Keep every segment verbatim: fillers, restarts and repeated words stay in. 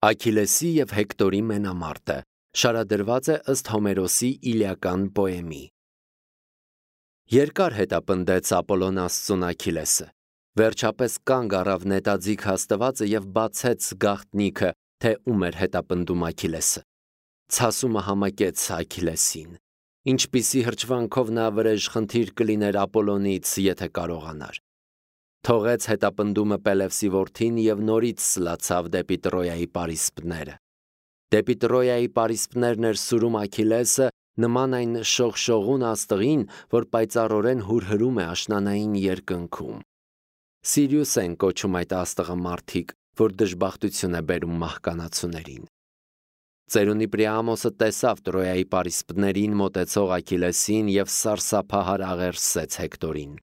Աքիլեսի և Հեկտորի մենամարտը շարադրված է ըստ Հոմերոսի իլիական պոեմի։ Երկար հետապնդեց Ապոլոն Աստծուն Աքիլեսը, վերջապես կանգ առավ նետաձիգ հաստվածը և բացեց գաղտնիքը, թե ում էր հետապնդում Աքիլեսը։ Ցասումը համակեց Աքիլեսին, ինչպիսի հրճվանքով նա վրեժխնդիր կլիներ Ապոլոնից, եթե կարողանար։ Թողեց հետապնդումը Պելևսի որդին և նորից սլացավ դեպի Տրոյայի պարիսպները։ Դեպի Տրոյայի պարիսպներն էր սուրում Աքիլեսը, նման այն շողշողուն աստղին, որ պայծառորեն հուրհրում է աշնանային երկնքում։ Սիրիուս են կոչում այդ աստղը մարդիկ, որ դժբախտություն է բերում մահկանացուներին։ Ծերունի Պրիամոսը տեսավ Տրոյայի պարիսպներին մոտեցող Աքիլեսին և սարսափահար աղերսեց Հեկտորին.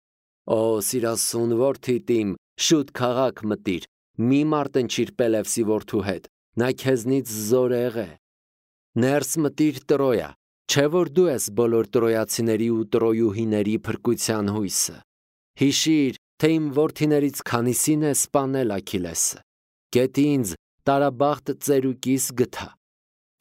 «Օ, սիրասուն որդիդ իմ, շուտ քաղաք մտիր, մի մարտնչիր Պելևսի որդու հետ, նա քեզնից զորեղ է։ Ներս մտիր Տրոյա, չէ՞ որ դու ես բոլոր տրոյացիների ու տրոյուհիների փրկության հույսը։ Հիշիր, թե իմ որդիներից քանիսին է սպանել Աքիլեսը։ Գետ ինձ տարաբախտ ծերուկիս գթա։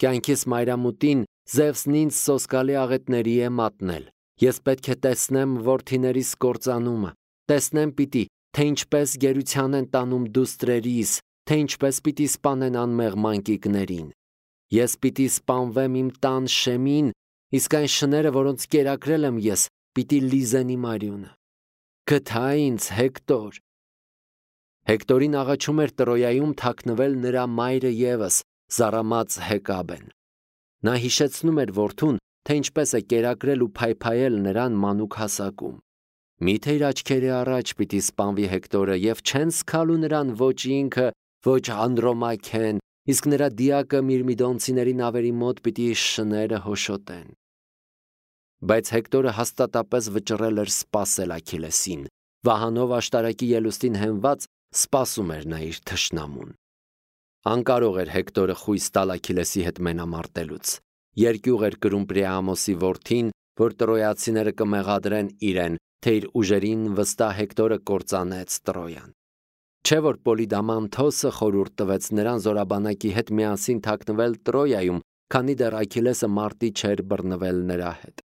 Կյանքիս մայրամուտին Զևսն ինձ սոսկալի աղետների է մատնել։ Ես պետք է տեսնեմ որդիներիս կործանումը, տեսնեմ պիտի, թե ինչպես գերության են տանում դուստրերիս, թե ինչպես պիտի սպանեն անմեղ մանկիկներին։ Ես պիտի սպանվեմ իմ տան շեմին, իսկ այն շները, որոնց կերակրել եմ ես, պիտի լիզեն իմ արյունը։ Գթա ինձ, Հեկտոր»։ Հեկտորին աղաչում էր Տրոյայում թաքնվել նրա մայրը ևս, զառամած Հեկաբեն։ Նա հիշեցնում էր որդուն, թե ինչպես է կերակրել ու փայփայել նրան մանուկ հասակում։ Միթե իր աչքերի առաջ պիտի սպանվի Հեկտորը և չեն սգալու նրան ոչ ինքը, ոչ Անդրոմաքեն, իսկ նրա դիակը Միրմիդոնցիների նավերի մոտ պիտի շները հոշոտեն։ Բայց Հեկտորը հաստատապես վճռել էր սպասել Աքիլեսին, վահանով աշտարակի ելուստին հենված սպասում էր նա իր թշնամուն։ Անկարող էր Հեկտորը խույս տալ Աքիլեսի հետ մենամարտելուց։ Երկյուղ էր կրում Պրիամոսի որդին, որ տրոյացիները կմեղադրեն իրեն, թե իր ուժերին վստահ Հեկտորը կործանեց Տրոյան։ Չէ՞ որ Պոլիդամանթոսը խորհուրդ տվեց նրան զորաբանակի հետ միասին թաքնվել Տրոյայում, քանի դեռ Աքիլեսը մարտի չէր բռնվել նրա հետ։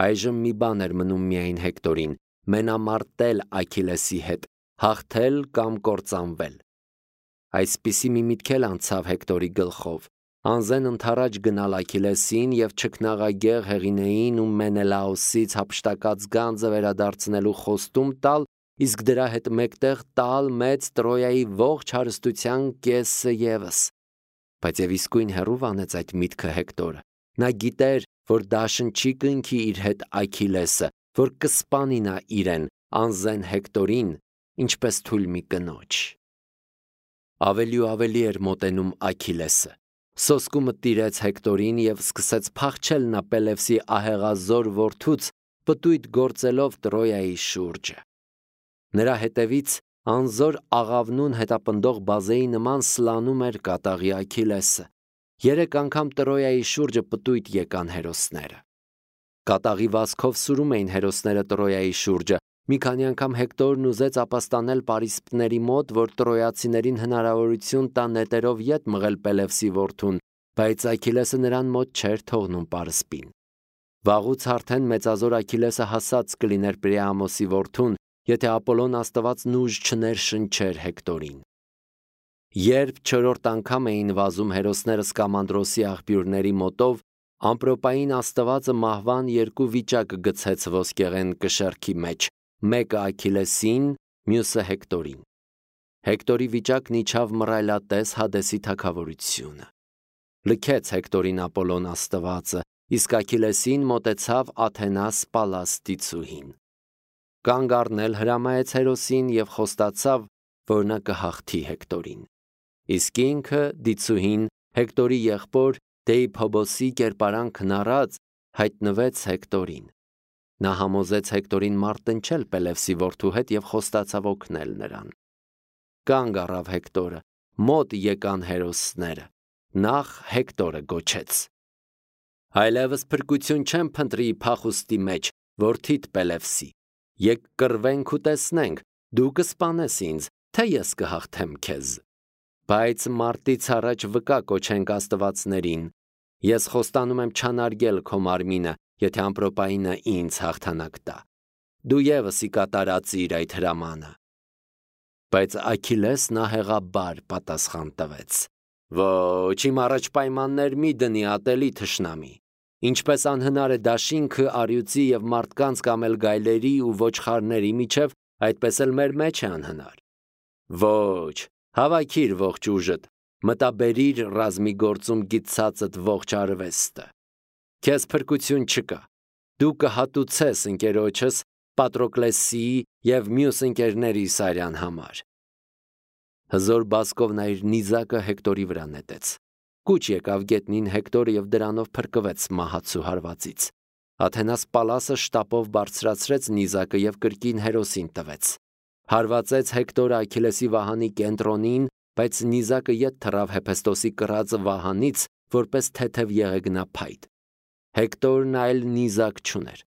Այժմ մի բան էր մնում միայն Հեկտորին՝ մենամարտել Աքիլեսի հետ, հաղթել կամ կործանվել։ Այսպիսի մի միտք էլ անցավ Հեկտորի գլխով՝ անզեն ընդառաջ գնալ Աքիլեսին և չքնաղագեղ Հեղինեին ու Մենելաոսից հափշտակած գանձը վերադարձնելու խոստում տալ, իսկ դրա հետ մեկտեղ տալ մեծ Տրոյայի ողջ հարստության կեսը ևս։ Բայց և իսկույն հեռու վանեց այդ միտքը Հեկտորը։ Նա գիտեր, որ դաշնչի կնքի իր հետ Աքիլեսը, որ կսպանի նա իրեն, անզեն Հեկտորին, ինչպես թույլ մի կնոջ։ Ավելի ու ավելի էր մոտենում Աքիլեսը։ Սոսկումը տիրեց Հեկտորին և սկսեց փախչել նա Պելևսի ահեղազոր որդուց, պտույտ գործելով Տրոյայի շուրջը։ Նրա հետևից անզոր աղավնուն հետապնդող բազեի նման սլանում էր կատաղի Աքիլեսը։ Երեք անգամ Տրոյայի շուրջը պտույտ եկան հերոսները։ Կատաղի վազքով սուրում էին հերոսները Տրոյայի շուրջը։ Մի քանի անգամ Հեկտորն ուզեց ապաստանել պարիսպների մոտ, որ տրոյացիներին հնարավորություն տա նետերով ետ մղել Պելևսի որդուն, բայց Աքիլեսը նրան մոտ չէր թողնում պարսպին։ Վաղուց արդեն մեծազոր Աքիլեսը հասած կլիներ Պրիամոսի որդուն, եթե Ապոլոն աստվածն ուժ չներշնչեր Հեկտորին։ Երբ չորրորդ անգամ էին վազում հերոսները Սկամանդրոսի աղբյուրների մոտով, ամպրոպային աստվածը մահվան երկու վիճակ գցեց ոսկեղեն կշեռքի մեջ, մեկը Աքիլեսին, մյուսը Հեկտորին։ Հեկտորի վիճակն իջավ մռայլատես Հադեսի թագավորությունը։ Լքեց Հեկտորին Ապոլոն աստվածը, իսկ Աքիլեսին մոտեցավ Աթենաս Պալաստի ծուհին։ Կանգ առնել հրամայեց հերոսին և խոստացավ, որ նա կհաղթի Հեկտորին։ Իսկ ինքը, դիցուհին, Հեկտորի եղբոր Դեիփոբոսի կերպարանքն առած, հայտնվեց Հեկտորին։ Նա համոզեց Հեկտորին մարտնչել Պելևսի որդու հետ և խոստացավ օգնել նրան։ Կանգ առավ Հեկտորը, մոտ եկան հերոսները։ Նախ Հեկտորը գոչեց. «Այլևս փրկություն չեմ փնտրի փախուստի մեջ, որդիդ Պելևսի։ Եկ կռվենք ու տեսնենք, դու կսպանես ինձ, թե ես կհաղթեմ քեզ»։ Բայց մարտից առաջ վկա կոչենք աստվածներին, ես խոստանում եմ չանարգել քո մարմինը, եթե ամպրոպայինը ինձ հաղթանակ տա, դու ևս ի կատարածիր այդ հրամանը։ Բայց Աքիլեսն ահեղաբար պատասխան տվեց. Ոչ, իմ առաջ պայմաններ մի դնի ատելի թշնամի, ինչպես անհնար է դաշինքը առյուծի և մարդկանց կամ էլ գայլերի ու ոչխարների միջև, այդպես էլ մեր մեջ է անհնար։ Ոչ, հավաքիր ողջ ուժդ, մտաբերիր ռազմիգործում գիտցածդ ողջ արվեստը։ Քեզ փրկություն չկա, դու կհատուցես ընկերոջս Պատրոկլեսիի և մյուս ընկերներիս արյան համար։ Հզոր բազկով նա իր նիզակը Հեկտորի վրա նետեց։ Կուչ եկավ գետնին Հեկտորը և դրանով փրկվեց մահացու հարվածից։ Աթենաս Պալասը շտապով բարձրացրեց նիզակը և կրկին հերոսին տվեց։ Հարվածեց Հեկտորը Աքիլեսի վահանի կենտրոնին, բայց նիզակը ետ թռավ Հեփեստոսի կռածը վահանից, որպես թեթև եղեգնափայտ։ Հեկտորն այլ նիզակ չուներ։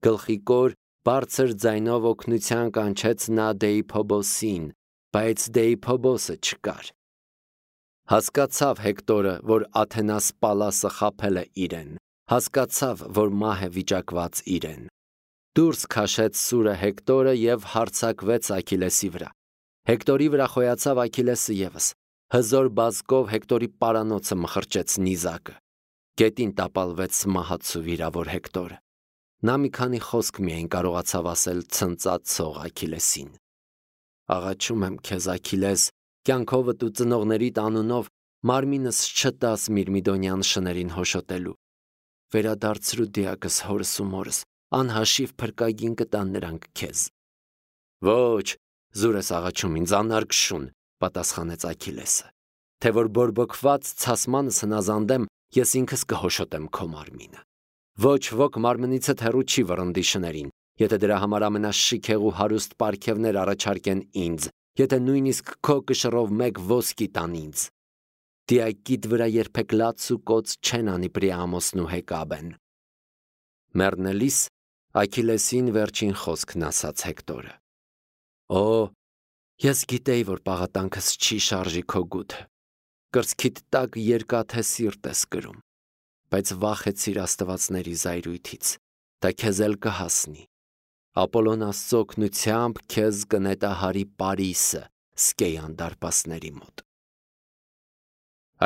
Գլխիկոր բարձր ձայնով օգնության կանչեց նա Դեիփոբոսին, բայց Դեիփոբոսը չկար։ Հասկացավ Հեկտորը, որ Աթենաս Պալասը խաբել է իրեն, հասկացավ, որ մահ է վիճակված իրեն։ Դուրս քաշեց սուրը Հեկտորը և հարձակվեց Աքիլեսի վրա։ Հեկտորի վրա խոյացավ Աքիլեսը ևս։ Հզոր բազկով Հեկտորի պարանոցը մխրճեց նիզակը։ Գետին տապալվեց մահացու վիրավոր Հեկտորը։ Նա մի քանի խոսք միայն կարողացավ ասել ցնծացող Աքիլեսին. Աղաչում եմ քեզ, Աքիլես, կյանքովդ ու ծնողներիդ անունով մարմինս չտաս Միրմիդոնյան շներին հոշոտելու։ Վերադարձրու դիակս հորս ու մորս, անհաշիվ փրկագին կտան նրանք քեզ։ Ոչ, զուր ես աղաչում ինձ, անարգ շուն, պատասխանեց Աքիլեսը, թե որ բորբոքված ցասմանս հնազանդեմ, ես ինքս կհոշոտեմ քո մարմինը։ Ոչ ոք մարմնիցդ հեռու չի վռնդի շներին, եթե դրա համար ամենաշիքեղ ու հարուստ պարգևներ առաջարկեն ինձ, եթե նույնիսկ քո կշռով մեկ ոսկի տան ինձ։ Դիակիդ վրա երբեք լաց ու կոծ չեն անի Պրիամոսն ու Հեկաբեն։ Մեռնելիս Աքիլեսին վերջին խոսքն ասաց Հեկտորը. Օ, ես գիտեի, որ պաղատանքս չի շարժի քո գութը, կրծքիդ տակ երկաթե սիրտ ես կրում, բայց վախեցիր աստվածների զայրույթից, դա քեզ էլ կհասնի։ Ապոլոն Աստծո օգնությամբ քեզ կնետահարի Պարիսը Սկեյան դարպասների մոտ։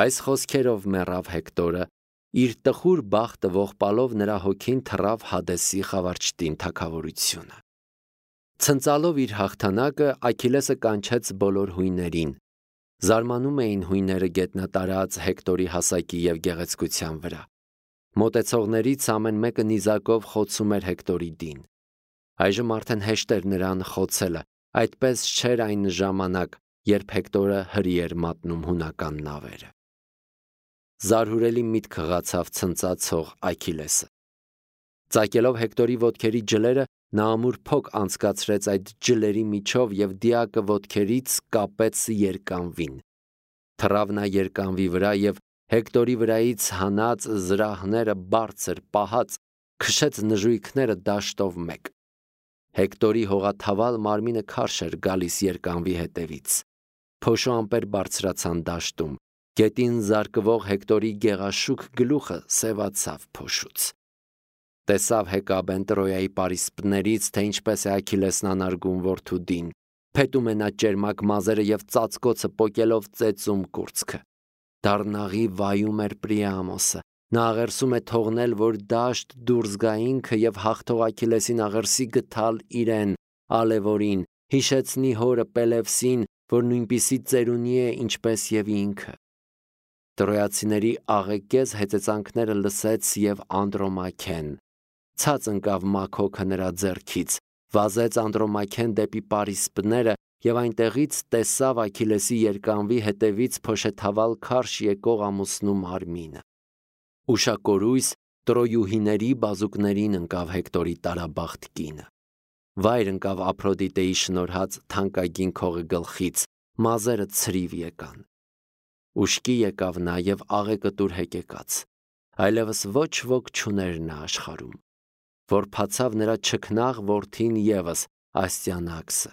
Այս խոսքերով մեռավ Հեկտորը, իր տխուր բախտը ողբալով նրա հոգին թռավ Հադեսի խավարճտին թագավորությունը։ Ցնծալով իր հաղթանակը Աքիլեսը կանչեց բոլոր հույներին։ Զարմանում էին հույները գետնատարած Հեկտորի հասակի և գեղեցկության վրա։ Մոտեցողներից ամեն մեկը նիզակով խոցում էր Հեկտորի դին։ Այժմ արդեն հեշտ էր նրան խոցելը, այդպես չէր այն ժամանակ, երբ Հեկտորը հրի էր մատնում հունական նավերը։ Զարհուրելի միտք հղացավ ցնծացող Աքիլեսը։ Ծակելով Հեկտորի ոտքերի ջլերը, նա ամուր փոք անցկացրեց այդ ջլերի միջով և դիակը ոտքերից կապեց երկանվին։ Թռավ նա երկանվի վրա և Հեկտորի վրայից հանած զրահները բարձր պահած քշեց նժույգները դաշտով մեկ։ Հեկտորի հողաթավալ մարմինը քարշ էր գալիս երկանվի հետևից։ Փոշու ամպեր բարձրացան դաշտում, գետին զարկվող Հեկտորի գեղաշուք գլուխը սևացավ փոշուց։ Տեսավ Հեկաբեն Տրոյայի պարիսպներից, թե ինչպես է Աքիլեսն անարգում որդու դին, փետում է նա ճերմակ մազերը և ծածկոցը պոկելով ծեծում կուրծքը։ Դառնաղի վայում էր Պրիամոսը, նա աղերսում է թողնել, որ դաշտ դուրս գա ինքը և հաղթող Աքիլեսին աղերսի գթալ իրեն, Ալևորին, հիշեցնի հորը Պելևսին, որ նույնպիսի ծերունի է, ինչպես և ինքը։ Տրոյացիների աղեկեզ հեծեծանքները լսեց և Անդրոմաքեն։ Ցած ընկավ Մաքոքը նրա ձեռքից, վազեց Անդրոմաքեն դեպի պարիսպները և այնտեղից տեսավ Աքիլեսի երկանվի հետևից փոշեթավալ քարշ եկող ամուսնու մարմինը։ Ուշակորույս տրոյուհիների բազուկներին ընկավ Հեկտորի տարաբախտ կինը։ Վայր ընկավ Ափրոդիտեի շնորհած թանկագին քողի գլխից, մազերը ցրիվ եկան։ Ուշքի եկավ նա և աղեկտուր հեկեկաց, այլևս ոչ ոք չուներ նա աշխարհում։ Որփացավ նրա չքնաղ որդին ևս, Աստիանաքսը։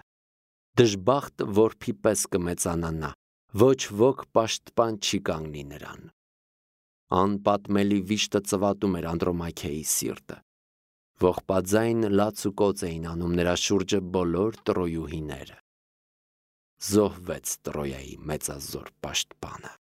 Դժբախտ որբի պես կմեծանա նա, Ոչ ոք պաշտպան չի կանգնի նրան։ Անպատմելի վիշտը ծվատում էր Անդրոմաքեի սիրտը։ Ողբաձայն լաց ու կոծ էին անում նրա շուրջը բոլոր տրոյուհիները։ Զոհվեց Տրոյայի մեծազոր պաշտպանը։